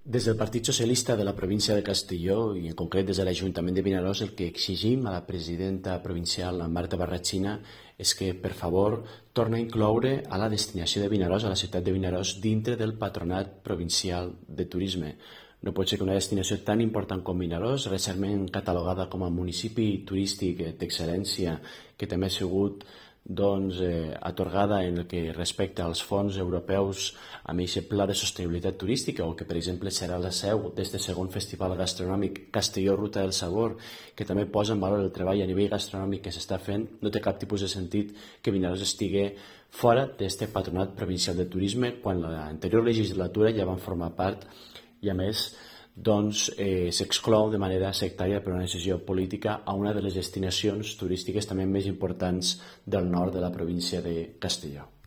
Des del Partit Socialista de la província de Castelló i en concret des de l'Ajuntament de Vinaròs el que exigim a la presidenta provincial, la Marta Barratxina, és que per favor torni a incloure a la destinació de Vinaròs, a la ciutat de Vinaròs, dintre del Patronat Provincial de Turisme. No pot ser que una destinació tan important com Vinaròs, recentment catalogada com a municipi turístic d'excel·lència, que també ha sigut atorgada en el que respecta als fons europeus amb aquest pla de sostenibilitat turística, o que per exemple serà la seu d'este segon festival gastronòmic Castelló Ruta del Sabor, que també posa en valor el treball a nivell gastronòmic que s'està fent. No té cap tipus de sentit que Vinaròs estigui fora d'este patronat provincial de turisme quan l'anterior legislatura ja van formar part i a més s'exclou de manera sectària per una decisió política a una de les destinacions turístiques també més importants del nord de la província de Castelló.